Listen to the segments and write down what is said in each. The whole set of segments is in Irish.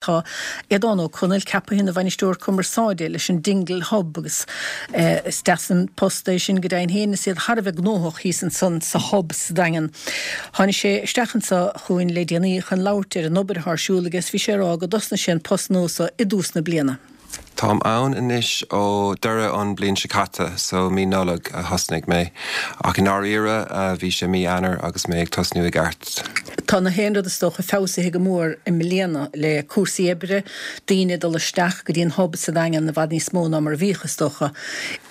Tá Aodán Ó Conaill ceaptha ina Bhainisteoir Cumarsáide leis an Dingle Hub agus is deas an post é sin go deimhin féin is iad thar a bheith gnóthach thíos ansan sa Hub sa Daingean. Tháinig sé isteach anso chugainn le déanaí chun labhairt ar an obair atá ar siúl aige is bhí sé ag rá go dtosnaigh sé an post nua so i dtús na bliana. Táim ann anois ó deireadh an bliain seo caite, so mí Nollag a thosnaigh mé. Ach i ndáiríre bhí sé mí Eanáir agus mé ag tosnú i gceart. Tá na haon rud is dócha feabhsaithe go mór i mbliana le cúrsaí oibre, daoine ag dul isteach go dtí an Hub sa Daingean i bhfad níos mó ná mar a bhíodh is dócha.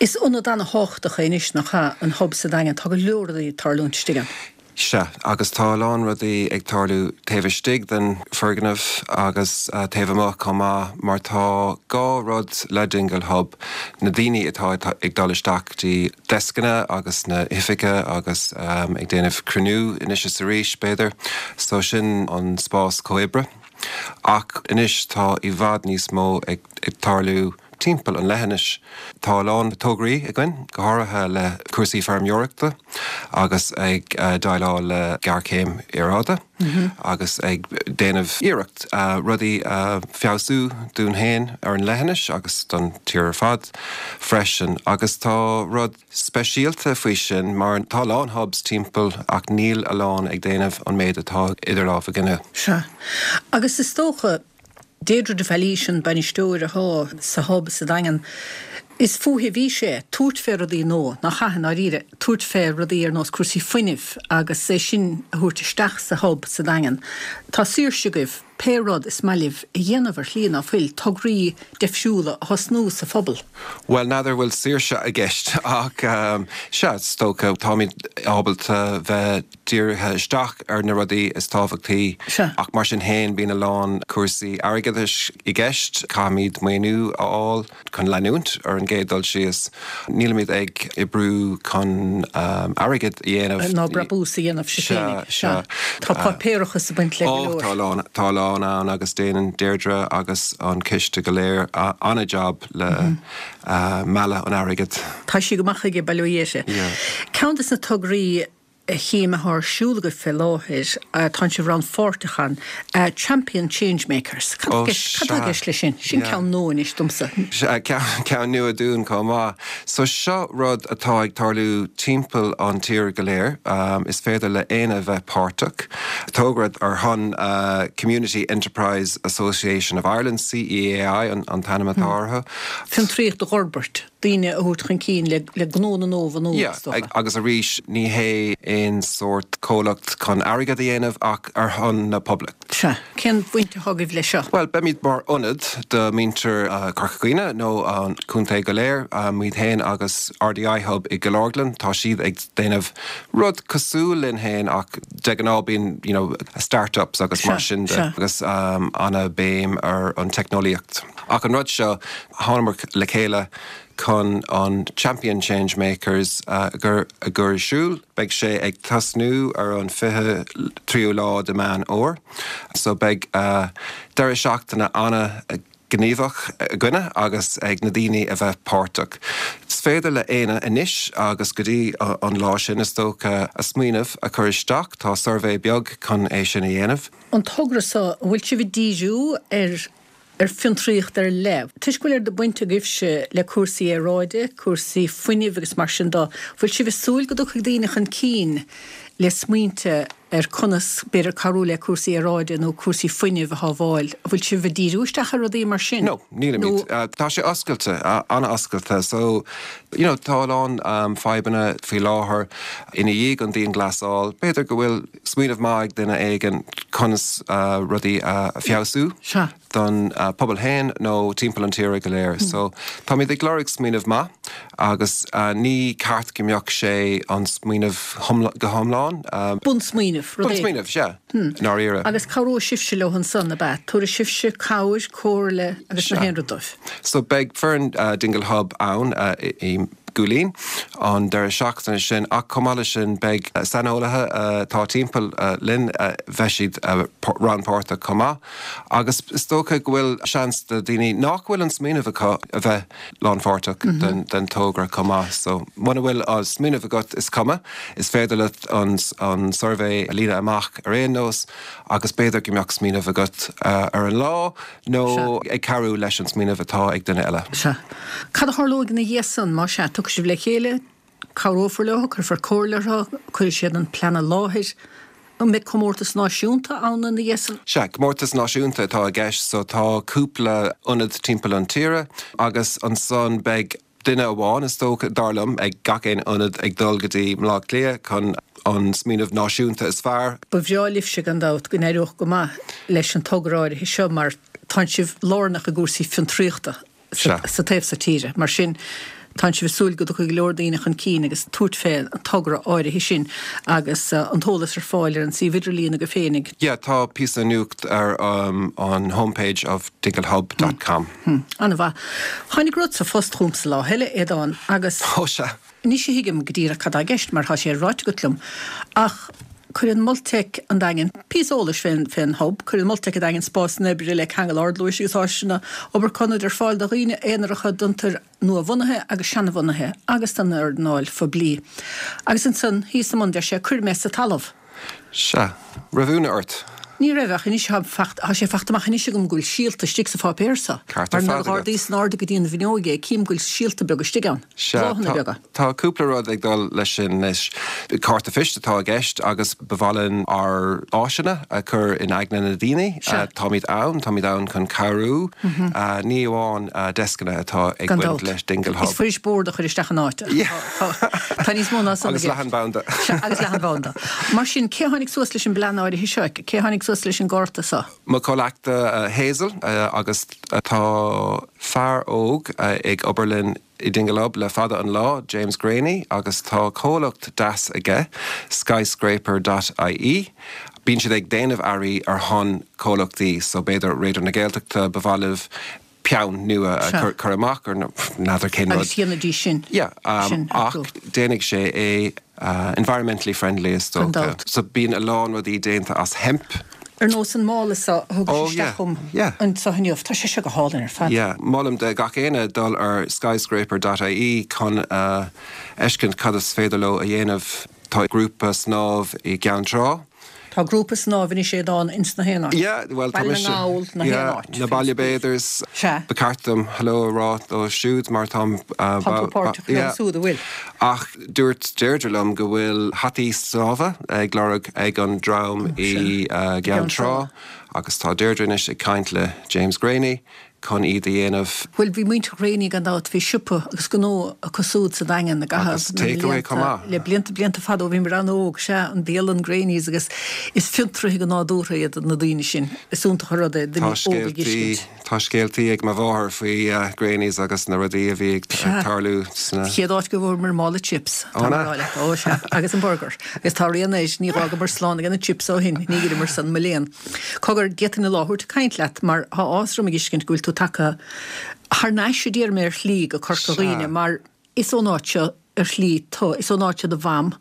Is ionad ana-thábhachtach é anois, nach ea, an Hub sa Daingean, tá go leor rudaí ag tarlúint istigh ann. Sea, agus tá a lán rudaí ag tarlú taobh istigh den foirgneamh agus taobh amuigh chomh maith, mar tá dhá rud le Dingle Hub, na daoine atá ag dul isteach go dtí deascanna agus na hoifige agus ag déanamh cruinniú anois is arís, b'fhéidir, so sin an spás comhoibre. Ach anois tá i bhfad níos mó ag tarlú timpeall an leithinis. Tá a lán tograí againn, go háirithe le cúrsaí feirmeoireachta agus ag déileáil le géarchéim aeráide agus ag déanamh iarracht rudaí a feabhsú dúinn féin ar an leithinis agus don tír ar fad freisin. Agus tá rud speisialta faoi sin mar tá a lán hubs timpeall ach níl a lán ag déanamh an méid atá idir lámha againne. Sea. Agus is dócha Deirdre de Bhailís an bainisteoir atá sa Hub sa Daingean. Is fúithi a bhí sé tabhairt fé rudaí nua, nach ea, i ndáiríre, tabhairt fé rudaí ar nós cúrsaí fuinnimh agus é sin a thabhairt isteach sa Hub sa Daingean. Tá saoirse agaibh pé rud is maith libh a dhéanamh ar shlí, ná fuil, tograí deifriúla a thosnú sa phobal. Bhuel, n'fheadar bhfuil saoirse i gceist ach sea, is dócha, táimid ábalta bheith dírithe isteach ar na rudaí is tábhachtaí ach mar sin féin bíonn a lán cúrsaí airgeadais i gceist, caithfimid maoiniú a fháil chun leanúint ar an gcéad dul síos. Nílimid ag oibriú chun airgead a dhéanamh. Ná brabús a dhéanamh sibh féinig. Sea. Tá páipéarachas ag baint le go leor. Ó, tá a lán, tá a lán ann agus déanann Deirdre agus an coiste go léir an-jab le mealladh an airgid. Tá sí go maith chuige, bail ó Dhia uirthi. Ceann de na tograí a chím atá ar siúl agaibh fé láthair, tánn sibh rannpháirteach ann, Champion Changemakers. Cad tá i gceist leis sin? Sin ceann nua anois domsa. Sea, ceann nua dúinn chomh maith. So seo rud atá ag tarlú timpeall an tír go léir. Is féidir le éinne bheith páirteach. Togra ar shon Community Enterprise Association of Ireland, CEAI an t-ainm atá orthu. Fiontraíocht a dh'fhorbairt. daoine a thabhairt chun cinn le gnónna nua a bhunú, is dócha. Yeah, agus arís, ní hé aon sórt comhlacht chun airgead a dhéanamh ach ar shon na poiblí. Sea. Cén bhaint atá agaibh leis seo? Bhuel, beimid mar ionad do mhuintir Chorca Dhuibhne nó an contae go léir, muid féin agus RDI Hub i gCill Orglan, tá siad ag déanamh rud cosúil linn féin ach de ghnáth bíonn, you know, start-ups agus mar sin de agus ana-bhéim ar an teicneolaíocht. Ach an rud seo, Thánamar le chéile chun an Champion Changemakers a chur ar siúl. Beidh sé ag tosnú ar an 23ú lá de Meán Fhómhair so beidh deireadh seachtaine ana-ghníomhach againne agus ag na daoine a bheith páirteach. Is féidir le éinne anois agus go dtí an lá sin is dócha a smaoineamh a chur isteach. Tá suirbhé beag chun é sin a dhéanamh. An togra seo, an bhfuil sibh ag díriú ar ar fiontraíocht ar leith. Toisc go bhfuil oiread baint agaibhse le cúrsaí aeráide, cúrsaí fuinnimh agus mar sin de, bhfuil sibh ag súil go dtiocfaidh daoine chun cinn le smaointe ar conas, b'fhéidir, cabhrú le cúrsaí aeráide nó cúrsaí fuinnimh a shábháil? An bhfuil sibh ag díriú isteach ar rudaí mar sin? No, nílimid. Tá sé oscailte, an-oscailte. So, you know, tá a lán fadhbanna faoi láthair ina dhiaidh an dianghlasáil. B'fhéidir go bhfuil smaoineamh maith ag duine éigin conas rudaí a feabhsú don pobal féin nó timpeall an tíre go léir. So táimid ag lorg smaoineamh maith agus ní ceart go mbeadh sé an smaoineamh go hiomlán. Bunsmaoineamh, rud éigin. Bunsmaoineamh, sea, i ndáiríre. Agus cabhróidh sibhse leo ansan, ab ea? Tabharfaidh sibhse cabhair, comhairle agus na haon rud dóibh. So beidh foireann Dingle Hub ann i. gCúilín an deireadh seachtaine sin ach chomh maith leis sin beidh saineolaithe atá timpeall linn, bheidh siad rannpháirteach chomh maith agus is dócha go bhfuil seans do daoine nach bhfuil an smaoineamh acu a bheith lánpháirteach den togra chomh maith. So muna bhfuil an smaoineamh agat is cuma, is féidir leat an suirbhé a líonadh amach ar aon nós agus b'fhéidir go mbeadh smaoineamh agat ar an lá nó ag cabhrú leis an smaoineamh atá ag duine eile. Sea. Cad a tharlóidh ina dhiaidh san, má sea, tiocfaidh sibh le chéile, cabhrófar leo, cuirfear comhairle orthu, cuirfidh siad an plean i láthair. An mbeidh comórtas náisiúnta ann ina dhiaidh san? Sea, comórtas náisiúnta atá i gceist so tá cúpla ionad timpeall an tíre agus ansan beidh duine amháin, is dócha, dar liom, ag gach aon ionad ag dul go dtí Mblá Cliath chun an smaoineamh náisiúnta is fearr. Ba bhreá libhse, gan dabht, go n-éireodh go maith leis an togra áirithe seo mar tánn sibh lárnach i gcúrsaí fiontraíochta. sa taobh so tíre. Mar sin, tánn sibh ag súil go dtiocfaidh go leor daoine chun cinn agus tabhairt fé an togra áirithe sin agus an t-eolas ar fáil ar an suíomh idirlíon agaibh féinig. Yeah, tá píosa nuacht ar an homepage of dinglehub dot com. An-mhaith. Tháinig rud sa phost chugamsa lá eile, Aodán, agus. Ó sea. Anois a thuigim go díreach cad tá i gceist mar tá sé ráite agat liom. Ach cuireann Multec an Daingin píosa eolais fén Hub, cuireann Multec an Daingin spásanna oibre le ceangal ardluais agus áiseanna obair ionaid ar fáil do dhaoine aonaracha, d'fhiontair nua-bhunaithe agus seanabhunaithe agus don earnáil phoiblí. Agus ansan thíos i mbun deir sé cuir mé sa talamh. Sea. Raibh ionadh ort? Ní raibh, ach anois tá faighte, tá sé faighte amach anois agam go bhfuil síolta istigh sa pháipéar so. Ceart ar Mar nuair fad a agat. dh'ardaíos in airde go dtí an bhfuinneoig é, cím go bhfuil síolta beaga istigh ann. Sea, Bláthanna tá, beaga. tá cúpla rud ag dul leis sin anois. Cárta phoist atá i gceist agus ba mhaith linn ár áiseanna a chur in aigne na daoine. Sea. Táimid ann, táimid ann chun cabhrú. Ní amháin deascanna atá ag Gan baint dabht. leis Dingle Hub. Is fuirist bord a chur isteach in áit. Tá níos mó ná san i Agus gceist. leathanbhanda. Sea, agus leathanbhanda. Mar sin, cé a tháinig suas leis an bplean áirithe seo? Cé a tháinig suas leis an gcárta seo? Mo chomhleachtaí Hazel agus tá fear óg ag obair linn i Dingle Hub le fada an lá, James Greaney, agus tá comhlacht deas aige, skyscraper dot ie. Bíonn siad ag déanamh earraí ar shon comhlachtaí, so b'fhéidir Raidió na Gaeltachta, ba mhaith libh peann nua a chur amach or n'fheadar cén rud. Agus dhéanfaidís sin. Yeah, ach déanfaidh sé é environmentally friendly is Gan dócha. dabht. So bíonn a lán rudaí déanta as hemp. Ar nós an mála seo a thugais isteach chugam anseo inniu. Tá sé seo go hálainn ar fad. Yeah, molaim do gach éinne dul ar skyscraper dot ie chun a fheiscint cad is féidir leo a dhéanamh. Tá grúpa snámh i gCeann Trá. Tá grúpa snámh anois Aodán ins na haon áit. Yeah, bhuel tá Baile na mise, nGall, na haon yeah, áit. na Baile Bathers. Sea. Ba ceart dom hello a rá dóibh siúd mar táim, Tá tú páirteach leo yeah. siúd, an bhfuil? Ach dúirt Deirdre liom go bhfuil hataí snámha ag lorg ag an dream i gCeann Trá agus tá Deirdre anois ag caint le James Greaney chun iad a dhéanamh. Bhuel, bhí muintir Ghréanaí gan dabht, bhí siopa agus gnó acu súd sa Daingean i gcaitheamh Agus na takeaway chomh mblianta, maith. le blianta, blianta fada ó bhíomar an-óg, sea, an bialann Greaney's agus is fiontraithe go nádúrtha iad na daoine sin. Is iontach an rud é Tá duine óg a scéaltaí, dh'fheiscint. tá scéaltaí ag mo mháthair faoi Greaney's agus na rudaí a bhí ag Sea. tarlú sna. Chéad áit go bhfuaireamar mála chips, Ó, tá an mé ea? a rá leat, ó sea, agus an burger. Agus tá rian air, ní dh'fhágamar slán aige na chips ó shin, ní dh'itheamar san, mo léan. Cogar, d'fhéadfainn an lá a thabhairt ag caint leat mar tá áthas orm a dh'fheiscint go bhfuil tú tagtha thar n-ais, a déarfaidh mé, ar shlí go Corca Dhuibhne mar is ón áit seo ar shlí tú, is ón áit seo do mham,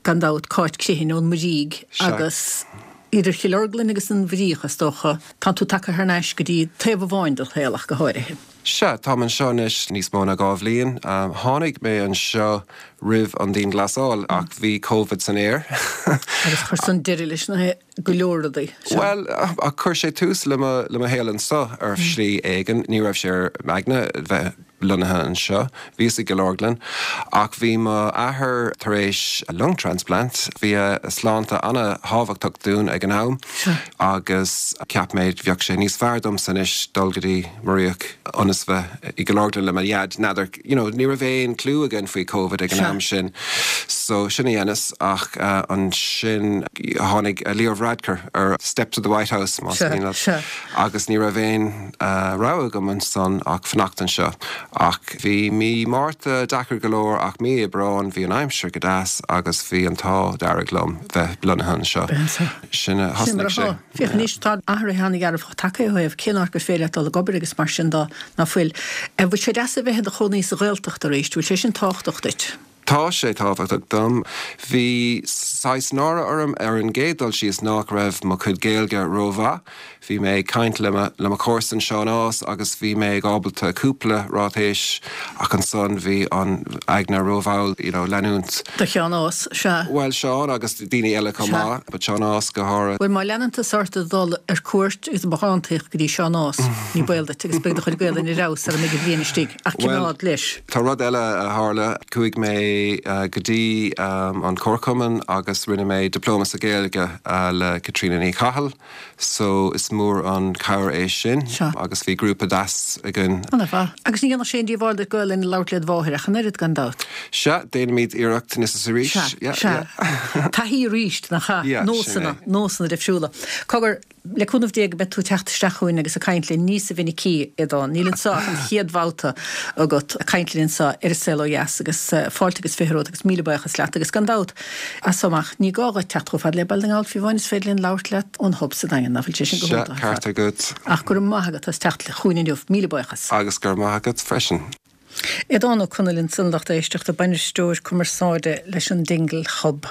gan dabht, Cáit Criomhthain ón Muirígh agus idir Chill Orglan agus an Mhuiríoch, is dócha, tánn tú tagtha thar n-ais go dtí taobh amháin de do shaol ach go háirithe. Sea, táim anseo anois níos mó ná 2 bhliain. Tháinig mé anseo roimh an dianghlasáil ach bhí Covid san aer. Agus chuir san deireadh leis na go leor rudaí. Sea. Bhuel, ach chuir sé tús le mo, le mo shaol anseo ar shlí éigin. Ní raibh sé ar m'aigne bheith lonnaithe anseo. Bhíos i gCill Orglan ach bhí mo athair tar éis lung transplant. Bhí a shláinte ana-thábhachtach dúinn ag an am agus cheap mé bheadh sé níos fearr domsa anois dul go dtí Muiríoch ionas bheith i gCill Orglan le mo dhaid. N'fheadar, you know, ní raibh aon clue againn faoi Covid ag an am sin so sin a dheineas ach ansin tháinig Leo Varadkar ar steps of the White House más mian leat agus ní raibh aon rogha agam ansan ach fanacht anseo. Ach bhí mí Márta deacair go leor ach mí Aibreáin bhí an aimsir go deas agus bhí an t-ádh dearg liom bheith lonnaithe anseo. Sin a Sin mar thosnaigh sé. atá. Féach anois, tá athruithe an-dhearfacha tagtha ó thaobh cén áit gur féidir leat dul ag obair agus mar sin de. Ná fuil? Bhfuil sé deas a bheith i do chónaí sa Ghaeltacht arís? Bhfuil sé sin tábhachtach duit? Tá sé tábhachtach dom. Bhí saghas náire orm ar an gcéad dul síos nach raibh mo chuid Gaeilge rómhaith. Bhí mé ag caint le mo le mo chomharsan Seán Ághas agus bhí mé ag ábalta cúpla ráitéis ach ansan bhí an aigne rómhall you know leanúint. Do Sheán Ághas, sea. Bhuel Seán agus daoine eile chomh maith but Seán Ághas go háirithe. Bhuel má leanann tusa ort ag dul ar cuairt agus ag bothántaíocht go dtí Seán Ághas ní baol duit agus beidh do chuid Gaelainne ar fheabhas sara mbeidh an bhliain istigh. Ach coimeád leis. Tá rud eile a tharla. Chuaigh mé go dtí an Comharchumann agus rinne mé Dioplóma sa Ghaeilge le Caitríona Ní Chathail so is mór an chabhair é sin agus bhí grúpa deas againn. Ana mhaith. Agus ní dhéanfadh sé aon díobháil duit Gaelainn a labhairt led mháthair ach an oiread, gan dabht. Sea, déanaimid iarracht anois is arís. Sea, sea. Taithí arís, nach ea? Nósanna, nósanna difriúla. Cogar, Le cúnamh Dé go mbeidh tú ag teacht isteach chugainn agus ag caint linn níosa mhinicí, Aodán. Níl anseo ach an chéad bhabhta agat ag caint linn anseo ar An Saol Ó Dheas agus fáilte agus 20 romhat agus míle buíochas leat agus gan dabht as so amach ní gá dhuit teacht chomh fada le Baile na nGall fiú amháin is féidir linn labhairt leat ón Hub sa Daingean, nach bhfuil sé sin go hiontach ar fad. Sea, ceart agat. Ach go raibh maith agat as teacht chugainn inniu. Míle buíochas. Agus go raibh maith agat freisin. Aodán Ó Conaill ansan, lucht éisteachta, Bainisteoir Cumarsáide leis an Dingle Hub.